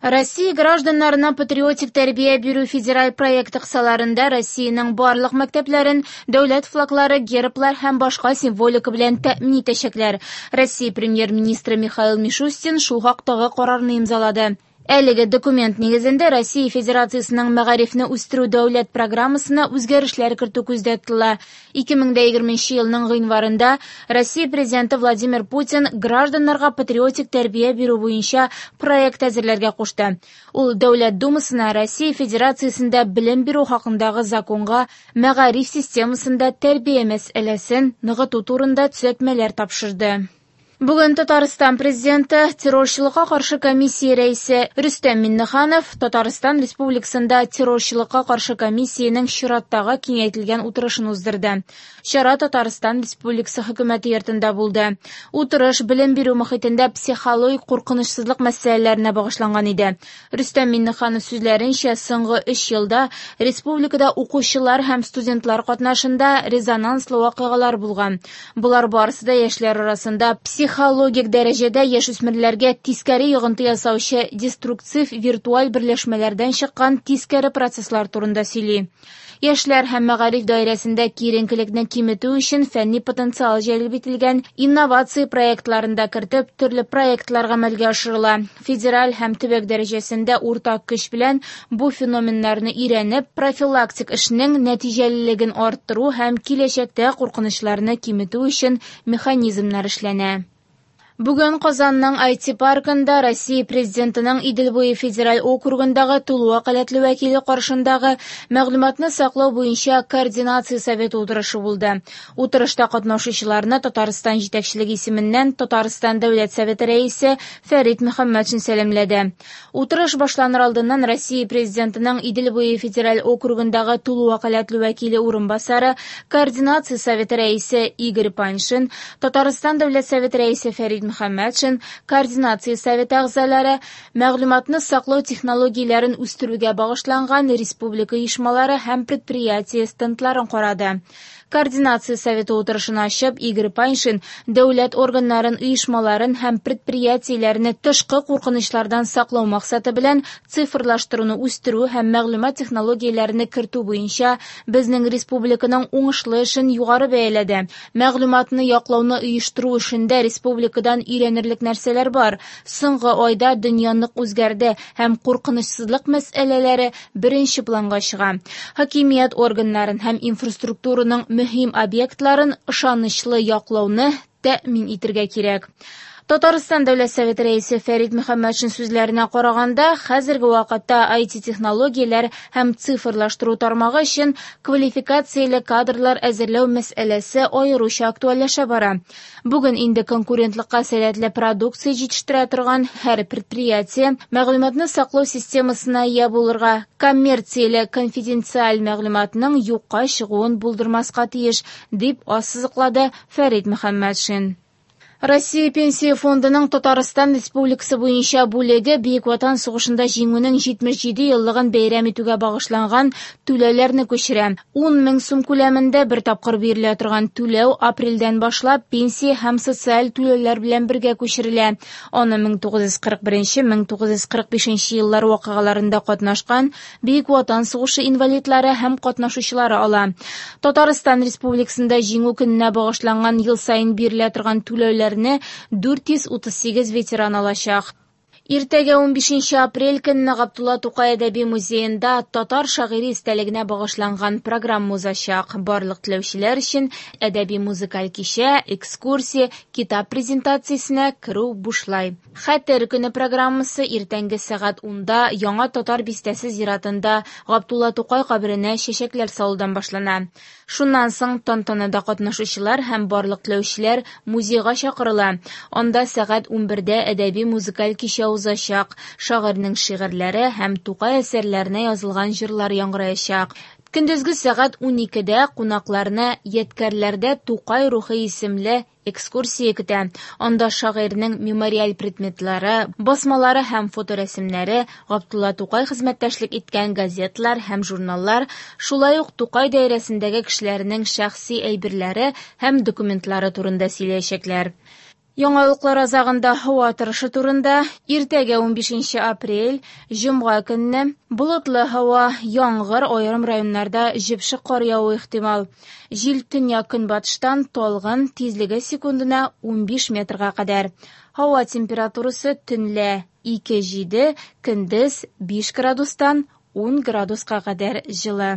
Россия гражданнарына патриотик тәрбия бирү федераль проекты кысаларында Россиянең барлык мәктәпләрен дәүләт флаглары, герблар һәм башка символика белән тәэмин итәчәкләр. Россия Премьер-министры Михаил Мишустин шул хактагы карарны имзалады. Әлеге документ нигезендә Россия Федерациясенең мәгарифне үстерү дәүләт программасына үзгәрешләр кертү күздә тотыла. 2020 елның гыйнварында Россия Президенты Владимир Путин гражданнарга патриотик тәрбия бирү буенча проект әзерләргә кушты. Ул Дәүләт Думасына Россия Федерациясендә белем бирү хакындагы законга мәгариф системасында тәрбия мәсьәләсен ныгыту турында төзәтмәләр тапшырды. Бүген Татарстан Президенты, террорчылыкка каршы комиссия рәисе Рөстәм Миңнеханов Татарстан Республикасында террорчылыкка каршы комиссиянең чираттагы киңәйтелгән утырышын уздырды. Чара Татарстан Республикасы Хөкүмәте йортында булды. Утырыш белем бирү мохитендә психологик куркынычсызлык мәсьәләләренә багышланган иде. Рөстәм Миңнеханов сүзләренчә, соңгы өч елда республикада укучылар һәм студентлар катнашында резонанслы вакыйгалар булган. Болар барысы да яшьләр арасында психологик дәрәҗәдә яшүсмерләргә тискәре йогынты ясаучы деструктив виртуаль берләшмәләрдән чыккан тискәре процесслар турында сөйли. Яшьләр һәм мәгариф даирәсендә киеренкелекне киметү өчен фәнни потенциал җәлеп ителгән, инновация проектларын да кертеп, төрле проектлар гамәлгә ашырыла. Федераль һәм төбәк дәрәҗәсендә уртак көч белән бу феноменнарны өйрәнеп, профилактик эшнең нәтиҗәлелеген арттыру һәм киләчәктә куркынычларны киметү өчен механизмнар эшләнә. Бүген Казанның IT-паркында Россия Президентының Идел буе федераль округындагы тулы вәкаләтле вәкиле каршындагы мәгълүматны саклау буенча координация советы утырышы булды. Утырышта катнашучыларны Татарстан җитәкчелеге исеменнән Татарстан Дәүләт Советы рәисе Фәрит Мөхәммәтшин сәламләде. Утырыш башланыр алдыннан Россия Президентының Идел буе федераль округындагы тулы вәкаләтле вәкиле урынбасары, координация советы рәисе Игорь Паньшин, Татарстан Дәүләт Советы рәисе Фәрит Мөхәммәтшин, координация советы әгъзалары, мәгълүматны саклау технологияләрен үстерүгә багышланган республика оешмалары һәм предприятие стендларын карады. Координация советы утырышын ачып, Игорь Паньшин дәүләт органнарын, оешмаларын һәм предприятиеләрне тышкы куркынычлардан саклау максаты белән цифрлаштыруны үстерү һәм мәгълүмат технологияләрен кертү буенча безнең республиканың уңышлы эшен югары бәяләде. Мәгълүматны яклауны оештыру эшендә республикадан өйрәнерлек нәрсәләр бар. Соңгы айда дөнья нык үзгәрде һәм куркынычсызлык мәсьәләләре беренче планга чыга. Хакимият органнарын һәм инфраструктураның мөһим объектларын ышанычлы яклауны тәэмин итәргә кирәк. Татарстан Дәүләт Советы рәисе Фәрит Мөхәммәтшин сүзләренә караганда, хәзерге вакытта IT-технологияләр һәм цифрлаштыру тармагы өчен квалификацияле кадрлар әзерләү мәсьәләсе аеруча актуальләшә бара. Бүген инде конкурентлыкка сәләтле продукция җитештерә торган һәр предприятие мәгълүматны саклау системасына ия булырга, коммерцияле конфиденциаль мәгълүматның юкка чыгуын булдырмаска тиеш, дип ассызыклады Фәрит Мөхәммәтшин. Россия Пенсия фондының Татарстан Республикасы буенча бүлеге Бөек Ватан сугышында җиңүнең 77 еллыгын бәйрәм итүгә багышланган түләүләрне күчерә. 10 мең сум күләмендә бер тапкыр бирелә торган түләү апрельдән башлап пенсия һәм социаль түләүләр белән бергә күчерелә. Аны 1941-1945 еллар вакыйгаларында катнашкан Бөек Ватан сугышы инвалидлары һәм катнашучылары ала. Татарстан Республикасында Җиңү көненә багышланган ел саен бирелә торган түләүләрне 438 ветеран алачак. Иртәгә 15 апрель көнне Габдулла Тукай әдәби музеенда татар шагыйре истәлегенә багышланган программа узачак. Барлык теләүчеләр өчен әдәби музыкаль кичә, экскурсия, китап презентациясенә керү бушлай. Хәтер көне программасы иртәнге сәгать 10-да Яңа Татар бистәсе зиратында Габдулла Тукай каберенә чәчәкләр салудан башлана. Шуннан соң тантанада катнашучылар һәм барлык теләүчеләр музейга чакырыла. Анда сәгать 11-дә әдәби музыкаль кичә узачак. Шагыйрьнең шигырьләре һәм Тукай әсәрләренә язылган җырлар яңгыраячак. Көндезге сәгать 12-дә кунакларны Ядкәрләрдә Тукай рухы исемле экскурсия көтә. Анда шагыйрьнең мемориаль предметлары, басмалары һәм фоторәсемнәре, Габдулла Тукай хезмәттәшлек иткән газеталар һәм журналлар, шулай ук Тукай даирәсендәге кешеләрнең шәхси әйберләре һәм документлары турында сөйләячәкләр. Яңалыклар азагында һава торышы турында. Иртәгә 15 апрель, җомга көнне болытлы һава, яңгыр, аерым районнарда җепшек кар явуы ихтимал. Җил төньяк-көнбатыштан талгын, тизлеге секундына 15 метрга кадәр. Һава температурасы төнлә 2-7, көндез 5 градустан 10 градуска кадәр җылы.